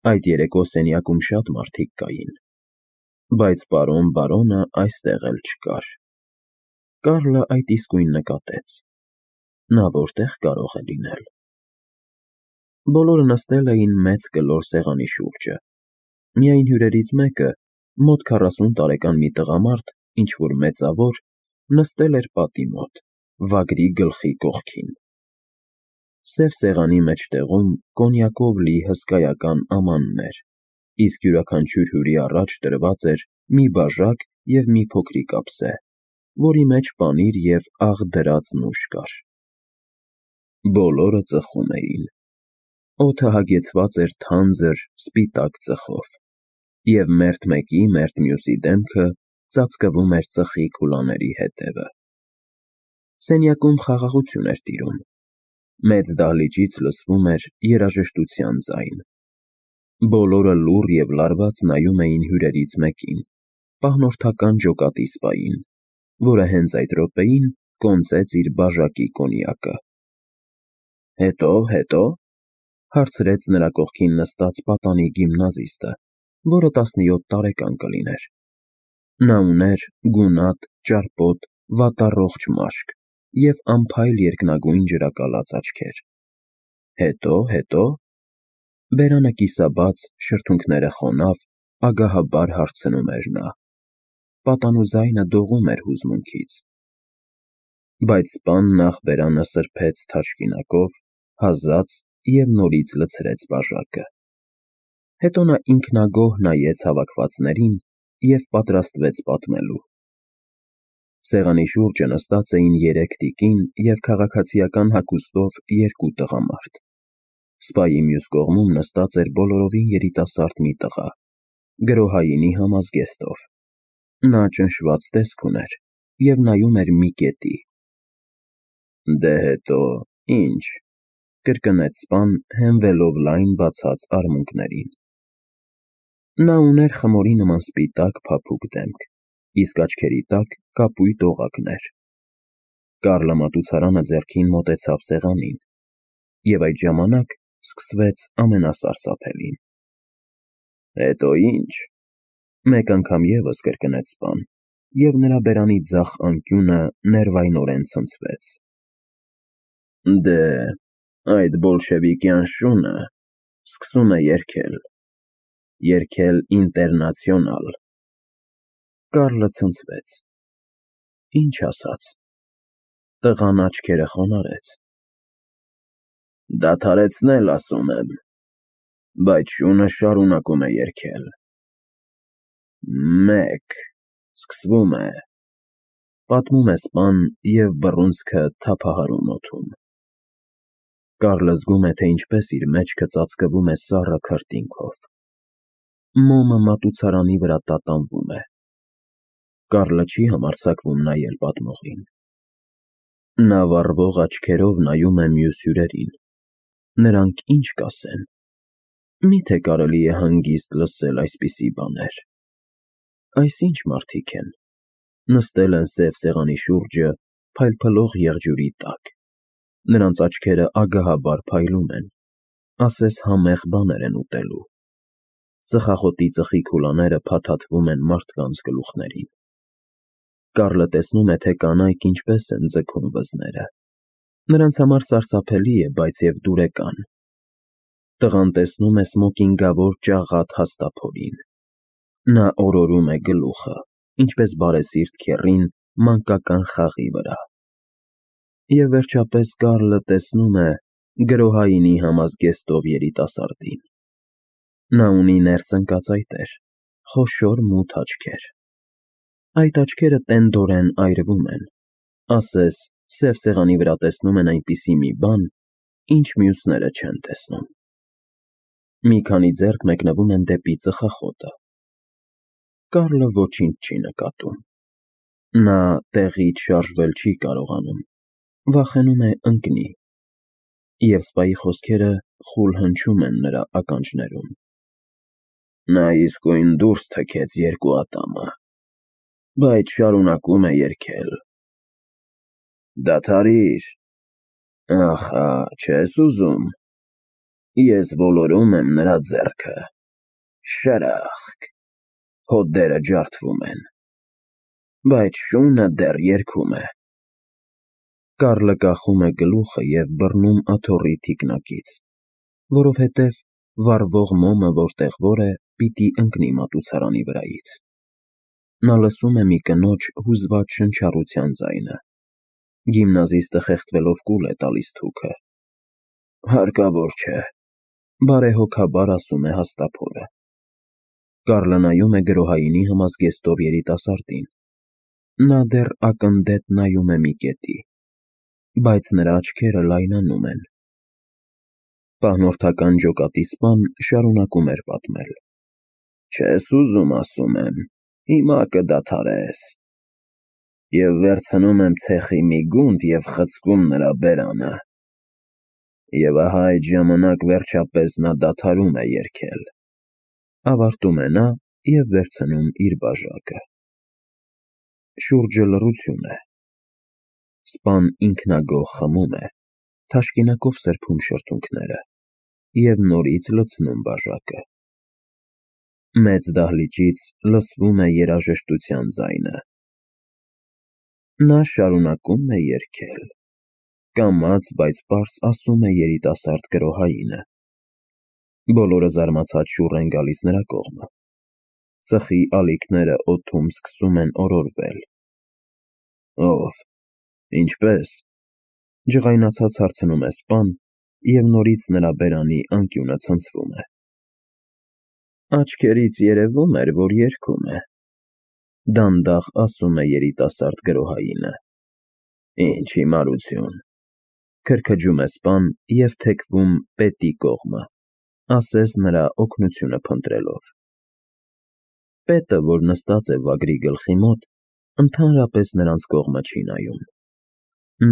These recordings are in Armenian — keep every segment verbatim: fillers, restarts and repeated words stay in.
Այդ երեկո սենյակում շատ մարդիկ կային, բայց պարոն բարոնը այստեղ էլ չկար։ Կարլը այդ իսկույն նկատեց. նա որտե՞ղ կարող է լինել։ Բոլորը նստել էին մեծ կլոր սեղանի շուրջը, միայն հյուրերից մեկը, մոտ քառասուն տարեկան մի տղամարդ, ինչ-որ մեծավոր, նստել էր պատի մոտ, վագրի գլխի կողքին։ Սև սեղանի մեջտեղում կոնյակով լի հսկայական ամանն էր, իսկ յուրաքանչյուր հյուրի առաջ դրված էր մի բաժակ և մի փոքրիկ ափսե, որի մեջ պանիր և աղ դրած նուշ կար։ Բոլորը ծխում էին։ Օդը հագեցված էր թանձր, սպիտակ ծխով, և մերթ մեկի, մերթ մյուսի դեմքը ծածկվում էր ծխի քուլաների ետևը։ Սենյակում խաղաղություն էր տիրում։ Մեծ դահլիճից լսվում էր երաժշտության ձայն։ Բոլորը լուռ և լարված նայում էին հյուրերից մեկին, պահնորդական ջոկատի սպային, որը հենց այդ րոպեին կոնծեց իր բաժակի կոնյակը։ Հետո, հետո, հարցրեց նրա կողքին նստած պատանի գիմնազիստը, որը տասնյոթ տարեկան կլիներ։ Նա ուներ գունատ, ճարպոտ, վատառողջ մաշկ և անփայլ երկնագույն ջրակալած աչքեր։ Հետո, հետո, բերանը կիսաբաց, շրթունքները խոնավ, ագահաբար հարցնում էր նա։ Պատանու ձայնը դողում էր հուզմունքից։ Բայց սպան նախ բերանը սրբեց թաշկինակով, հազաց և նորից լցրեց բաժակը։ Հետո նա ինքնագոհ նայեց հավաքվածներին և պատրաստվեց պատմելու։ Սեղանի շուրջը նստած էին երեք տիկին և քաղաքացիական հագուստով երկու տղամարդ։ Սպայի մյուս կողմում նստած էր բոլորովին երիտասարդ մի տղա, գրոհայինի համազգեստով։ Նա ճնշված տեսք ուներ և նայում էր մի կետի։ Դե հետո, ի՞նչ, կրկնեց սպան, հենվելով լայն բացած արմունկներին։ Նա ուներ խմորի նման սպիտակ, փափուկ դեմք, իսկ աչքերի տակ կապույտ օղակներ։ Կարլը մատուցարանը ձեռքին մոտեցավ սեղանին, և այդ ժամանակ սկսվեց ամենասարսափելին։ Հետո ի՞նչ, մեկ անգամ ևս կրկնեց սպան, և նրա բերանի ձախ անկյունը ներվայնորեն ցնցվեց։ Դե, այդ բոլշևիկյան շունը սկսում է երգել, երգել Ինտերնացիոնալ։ Կարլը ցնցվեց։ Ինչ ասաց։ Տղան աչքերը խոնարհեց։ Դադարեցնել, ասում եմ, բայց շունը շարունակում է երգել։ Մեկ, սկսվում է, պատմում է սպան և բռունցքը թափահարում օդում։ Կարլը զգում է, թե ինչպես իր մեջքը ծածկվում է սառը քրտինքով։ Մոմը մատուցարանի վրա տատանվում է։ Կարլը չի համարձակվում նայել պատմողին։ Նա վառվող աչքերով նայում է մյուս հյուրերին։ Նրանք ինչ կասեն։ Մի՞թե կարելի է հանգիստ լսել այսպիսի բաներ։ Այս ի՞նչ մարդիկ են։ Նստել են սև սեղանի շուրջը, փայլփլող եղջյուրի տակ։ Նրանց աչքերը ագահաբար փայլում են, ասես համեղ բաներ են ուտելու։ Ծխախոտի ծխի քուլաները փաթաթվում են մարդկանց գլուխներին։ Կարլը տեսնում է, թե կանայք ինչպես են ձգում վզները։ Նրանց համար սարսափելի է, բայց և դուրեկան։ Տղան տեսնում է սմոկինգավոր ճաղատ հաստափորին։ Նա օրորում է գլուխը, ինչպես բարեսիրտ քեռին մանկական խաղի վրա։ Եվ վերջապես Կարլը տեսնում է գրոհայինի համազգեստով երիտասարդին։ Նա ունի ներս ընկած այտեր, խոշոր մութ աչքեր։ Այդ աչքերը տենդորեն այրվում են, ասես սև սեղանի վրա տեսնում են այնպիսի մի բան, ինչ մյուսները չեն տեսնում։ Մի քանի ձեռք մեկնվում են դեպի ծխախոտը։ Կարլը ոչինչ չի նկատում։ Նա տեղից շարժվել չի կարողանում, վախենում է ընկնի, և սպայի խոսքերը խուլ հնչում են նրա ականջներում։ Նա իսկույն դուրս թքեց երկու ատամը, բայց շարունակում է երգել։ Դադարիր, ախա, չես ուզում։ Ես ոլորում եմ նրա ձեռքը։ Շրախկ, հոտերը ջարդվում են, բայց շունը դեռ երգում է։ Կարլը կախում է գլուխը և բռնում աթոռի թիկնակից, որովհետև վառվող մոմը որտեղ որ է, պիտի ընկնի մատուցարանի վրայից։ Նա լսում է մի կնոջ հուզված շնչառության ձայնը։ Գիմնազիստը խեղդվելով կուլ է տալիս թուքը։ Հարկավոր չէ, բարեհոգաբար ասում է հաստափորը։ Կարլը նայում է գրոհայինի համազգեստով երիտասարդին։ Նա դեռ ակնդետ նայում է մի կետի, բայց նրա աչքերը լայնանում են։ Պահնորդական ջոկատի սպան շարունակում էր պատմել. Չես ուզում, ասում եմ, հիմա կդադարես։ Եվ վերցնում եմ ցեխի մի գունդ և խցկում նրա բերանը։ Եվ ահա այդ ժամանակ վերջապես նա դադարում է երգել։ Ավարտում է նա և վերցնում իր բաժակը։ Շուրջը լռություն է։ Սպան ինքնագոհ խմում է, թաշկինակով սրբում շրթունքները և նորից լցնում բաժակը։ Մեծ դահլիճից լսվում է երաժշտության ձայնը։ Նա շարունակում է երգել, կամաց, բայց պարզ ասում է երիտասարդ գրոհայինը։ Բոլորը զարմացած շուռ են գալիս նրա կողմը։ Ծխի ալիքները օդում սկսում են օրորվել։ Ո՞վ, ինչպե՞ս, ջղայնացած հարցնում է սպան, և նորից նրա բերանի անկյունը ցնցվում է։ Աչքերից երևում էր, որ երգում է, դանդաղ ասում է երիտասարդ գրոհայինը։ Ինչ հիմարություն, քրքջում է սպան և թեքվում պետի կողմը, ասես նրա օգնությունը փնտրելով։ Պետը, որ նստած է վագրի գլխի մոտ, ընդհանրապես նրանց կողմը չի նայում։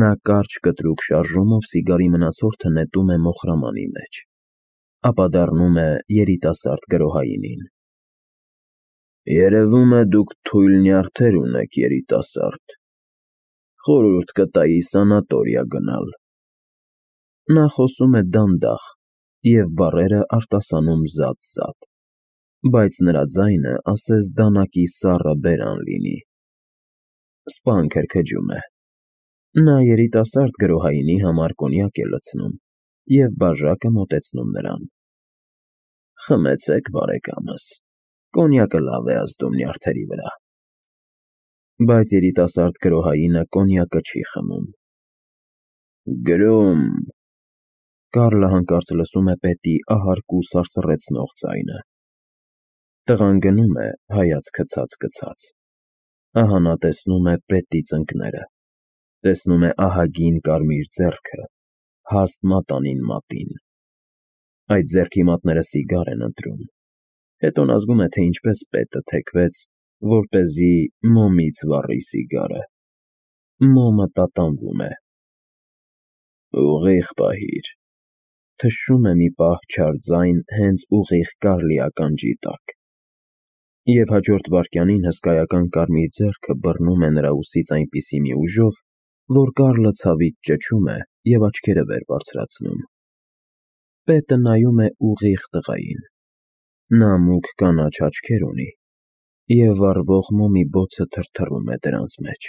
Նա կարճ կտրուկ շարժումով սիգարի մնացորդը նետում է մոխրամանի մեջ, ապա դառնում է երիտասարդ գրոհայինին։ Երևում է դուք թույլ նյարդեր ունեք, երիտասարդ, խորհուրդ կտայի սանատորիա գնալ։ Նա խոսում է դանդաղ, և բառերը արտասանում զատ-զատ, բայց նրա ձայնը ասես դանակի սառը բերան լինի։ Սպան քրքջում է։ Նա երիտասարդ գրոհայինի համար կոնյակ է լցնում և բաժակը մոտեցնում նրան։ Խմեցեք, բարեկամս, կոնյակը լավ է ազդում նյարդերի վրա։ Բայց երիտասարդ գրոհայինը կոնյակը չի խմում։ Գրում… Կարլը հանկարծ լսում է պետի ահարկու սարսռեցնող ձայնը։ Տղան գնում է, հայացքը ցած֊գցած։ Ահա նա տեսնում է պետի ծնկները, տեսնում է ահագին կարմիր ձեռքը, հաստ մատանին մատին։ Այդ ձեռքի մատները սիգար են ընտրում։ Հետո նա զգում է, թե ինչպես պետը թեքվեց, որպեսզի մոմից վառի սիգարը։ Մոմը տատանվում է։ Ուղիղ պահիր, թշում է մի պահ չար ձայն հենց ուղիղ Կարլի ականջի տակ։ Եվ հաջորդ վայրկյանին հսկայական կարմիր ձեռքը բռնում է նրա ուսից այնպիսի մի ուժով, որ Կարլը ցավից ճչում է և աչքերը վեր բարձրացնում։ Պետը նայում է ուղիղ տղային։ Նա մուգ կանաչ աչքեր ունի, և վառվող մոմի բոցը թրթռում է դրանց մեջ։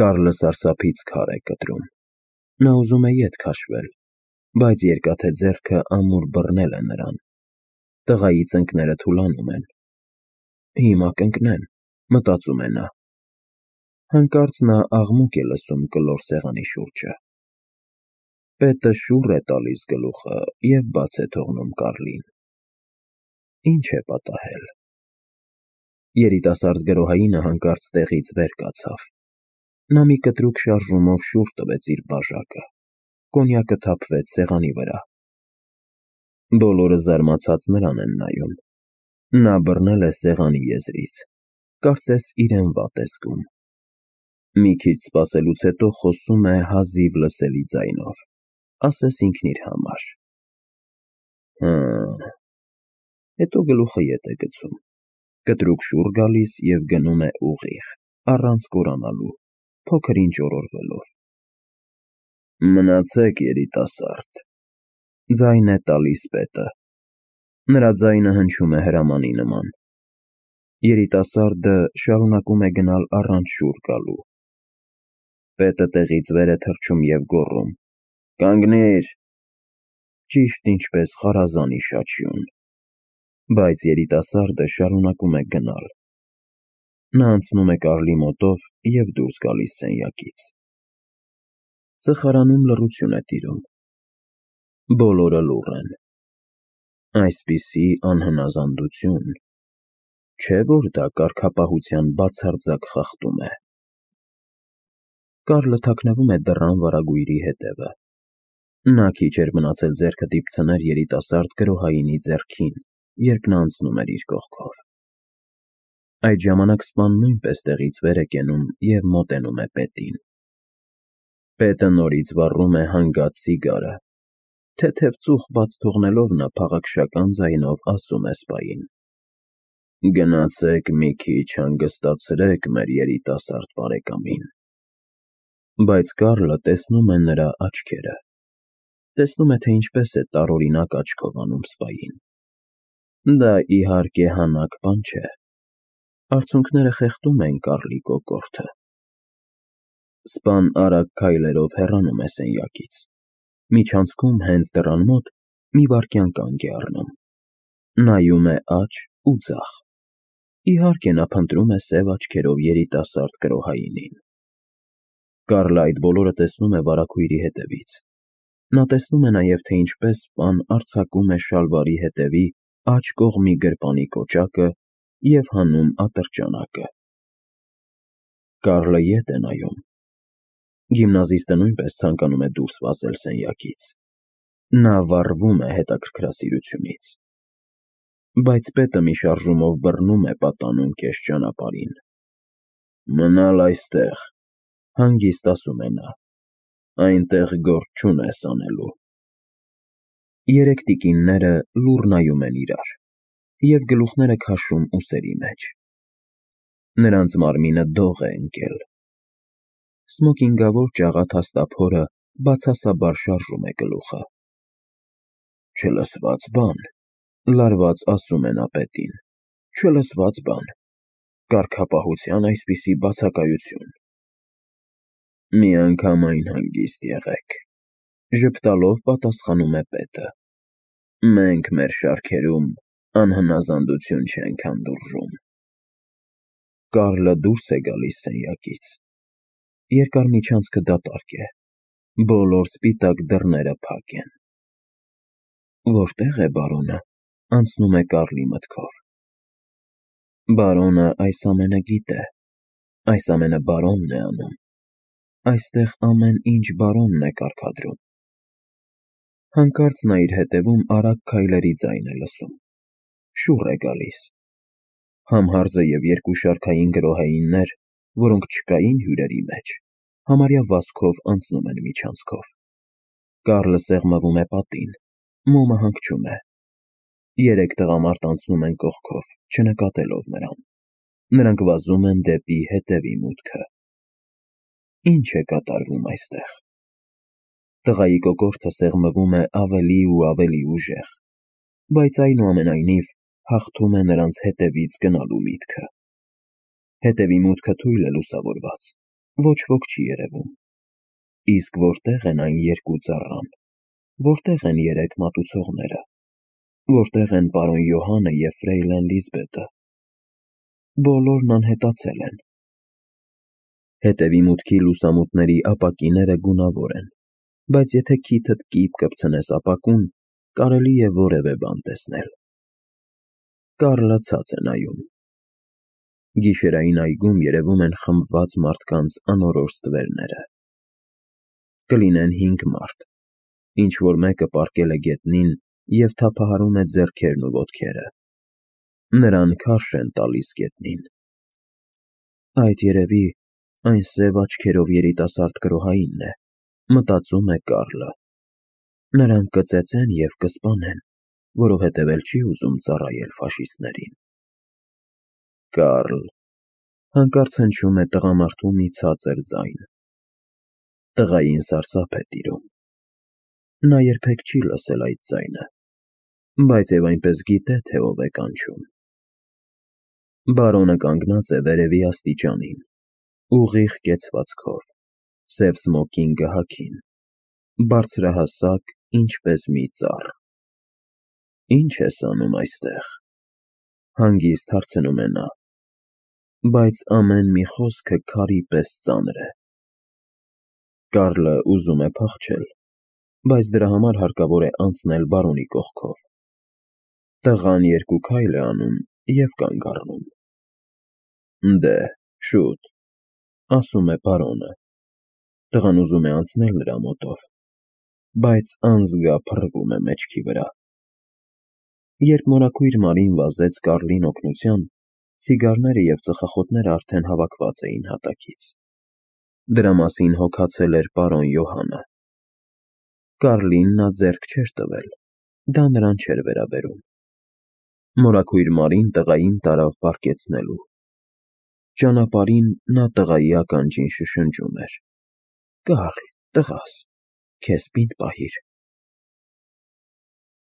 Կարլը սարսափից քար է կտրում։ Նա ուզում է ետ քաշվել, բայց երկաթե ձեռքը ամուր բռնել է նրան։ Տղայի ծնկները թուլանում են։ Հիմա կընկնեմ, մտածում է նա։ Հանկարծ նա աղմուկ է լսում կլոր սեղանի շուրջը։ Պետը շուռ է տալիս գլուխը և բաց է թողնում Կարլին։ Ինչ է պատահել։ Երիտասարդ գրոհայինը հանկարծ տեղից վեր կացավ։ Նա մի կտրուկ շարժումով շուռ տվեց իր բաժակը։ Կոնյակը թափվեց սեղանի վրա։ Բոլորը զարմացած նրան են նայում։ Նա բռնել է սեղանի եզրից, կարծես իրեն վատ է զգում։ Մի քիչ սպասելուց հետո խոսում է հազիվ լսելի ձայնով, ասես ինքն իր համար. Հը… Հետո գլուխը ետ է գցում, կտրուկ շուռ գալիս և գնում է ուղիղ, առանց կորանալու, փոքր ինչ օրորվելով։ Մնացեք, երիտասարդ, Ձայն է տալիս պետը։ Նրա ձայնը հնչում է հրամանի նման։ Երիտասարդը շարունակում է գնալ առանց շուռ գալու։ Պետը տեղից վեր է թռչում և գոռում. «Կանգնիր»։ Ճիշտ ինչպես խարազանի շաչյուն։ Բայց երիտասարդը շարունակում է գնալ։ Նա անցնում է Կարլի մոտով և դուրս գալիս սենյակից։ Ծխարանում լռություն է տիրում։ Բոլորը լուռ են։ Այսպիսի անհնազանդություն… Չէ՞ որ դա կարգապահության բացարձակ խախտում է։ Կարլը թաքնվում է դռան վարագույրի հետևը։ Նա քիչ էր մնացել ձեռքը դիպցներ երիտասարդ գրոհայինի ձեռքին, երբ նա անցնում էր իր կողքով։ Այդ ժամանակ սպան նույնպես տեղից վեր է կենում և մոտենում է պետին։ Պետը նորից վառում է հանգած սիգարը։ Թեթև ծուխ բաց թողնելով նա փաղաքշական ձայնով ասում է սպային. «Գնացեք մի քիչ հանգստացրեք մեր երիտասարդ բարեկամին»։ Բայց Կարլը տեսնում է նրա աչքերը։ Տեսնում է, թե ինչպես է տարօրինակ աչքով անում սպային։ Դա, իհարկե, հանաք բան չէ։ Արցունքները խեղդում են Կարլի կոկորդը։ Սպան արագ քայլերով հեռանում է սենյակից։ Միջանցքում հենց դռան մոտ մի վայրկյան կանգ է առնում։ Նայում է աջ ու ձախ։ Իհարկե, նա փնտրում է սև աչքերով երիտասարդ գրոհայինին։ Կարլը այդ բոլորը տեսնում է վարագույրի հետևից։ Նա տեսնում է նաև, թե ինչպես սպան արձակում է շալվարի հետևի աջ կողմի գրպանի կոճակը և հանում ատրճանակը։ Կարլը ետ է նայում։ Գիմնազիստը նույնպես ցանկանում է դուրս վազել սենյակից։ Նա վառվում է հետաքրքրասիրությունից։ Բայց պետը մի շարժումով բռնում է պատանուն կես ճանապարհին։ «Մնալ այստեղ», հանգիստ ասում է նա, «այնտեղ գործ չունես անելու»։ Երեք տիկինները լուռ նայում են իրար և գլուխները քաշում ուսերի մեջ։ Նրանց մարմինը դող է ընկել։ Սմոքինգավոր ճաղատ հաստափորը բացասաբար շարժում է գլուխը։ «Չլսված բան», լարված ասում է նա պետին, «չլսված բան, կարգապահության այսպիսի բացակայություն»։ «Միանգամայն հանգիստ եղեք», ժպտալով պատասխանում է պետը։ «Մենք մեր շարքերում անհնազանդություն չենք հանդուրժում»։ Կարլը դուրս է գալիս սենյակից։ Երկար միջանցքը դատարկ է։ Բոլոր սպիտակ դռները փակ են։ Որտե՞ղ է բարոնը, անցնում է Կարլի մտքով։ Բարոնը այս ամենը գիտե։ Այս ամենը բարոնն է անում։ Այստեղ ամեն ինչ բարոնն է կարգադրում։ Հանկարծ նա իր հետևում արագ քայլերի ձայն է լսում։ Շուռ է գալիս։ Համհարձը և երկու շարքային գրոհայիններ, որոնք չկային հյուրերի մեջ, համարյա վազքով անցնում են միջանցքով։ Կարլը սեղմվում է պատին, մոմը հանգչում է։ Երեք տղամարդ անցնում են կողքով, չնկատելով նրան։ Նրանք վազում են դեպի հետևի մուտքը։ Ինչ է կատարվում այստեղ։ Տղայի կոկորդը սեղմվում է ավելի ու ավելի ուժեղ, բայց այնուամենայնիվ հաղթում է նրանց հետևից գնալու միտքը։ Հետևի մուտքը թույլ է լուսավորված, ոչ ոք չի երևում։ Իսկ որտե՞ղ են այն երկու ծառան, որտե՞ղ են երեք մատուցողները, որտե՞ղ են պարոն Յոհանը և ֆրեյլին Լիզբետը։ Բոլորն անհետացել են։ Հետևի մուտքի լուսամուտների ապակիները գունավոր են, բայց եթե քիթդ կիպ կպցնես ապակուն, կարելի է որևէ բան տեսնել։ Կարլը ցած է նայում։ Գիշերային այգում երևում են խմբված մարդկանց անորոշ ստվերները։ Կլինեն հինգ մարդ, ինչ֊որ մեկը պառկել է գետնին և թափահարում է ձեռքերն ու ոտքերը։ Նրան քարշ են տալիս գետնին։ Այդ երևի այն սև աչքերով երիտասարդ գրոհայինն է, մտածում է Կարլը։ Նրանք կծեծեն և կսպանեն, որովհետև էլ չի ուզում ծառայել ֆաշիստներին։ Կարլ… Հանկարծ հնչում է տղամարդու մի ցածր ձայն։ Տղային սարսափ է տիրում։ Նա երբեք չի լսել այդ ձայնը, բայց և այնպես գիտե, թե ով է կանչում։ Բարոնը կանգնած է վերևի աստիճանին, ուղիղ կեցվածքով, սև սմոքինգը հագին, բարձրահասակ, ինչպես մի ծառ։ Ի՞նչ ես անում այստեղ, հանգիստ հարցնում է նա, բայց ամեն մի խոսքը քարի պես ծանր է։ Կարլը ուզում է փախչել, բայց դրա համար հարկավոր է անցնել բարոնի կողքով։ Տղան երկու քայլ է անում և կանգ առնում։ Դե, շուտ, ասում է բարոնը։ Տղան ուզում է անցնել նրա մոտով, բայց անզգա փռվում է մեջքի վրա։ Երբ մորաքույր Մարին վազեց Կարլին օգնության, ցիգարները և ծխախոտները արդեն հավաքված էին հատակից։ Դրա մասին հոգացել էր պարոն Յոհանը։ Կարլին նա ձեռք չէր տվել, դա նրան չէր վերաբերում։ Մորաքույր Մարին տղային տարավ պառկեցնելու։ Ճանապարհին նա տղայի ականջին շշնջում էր. «Կարլ, տղաս, քեզ պինդ պահիր»։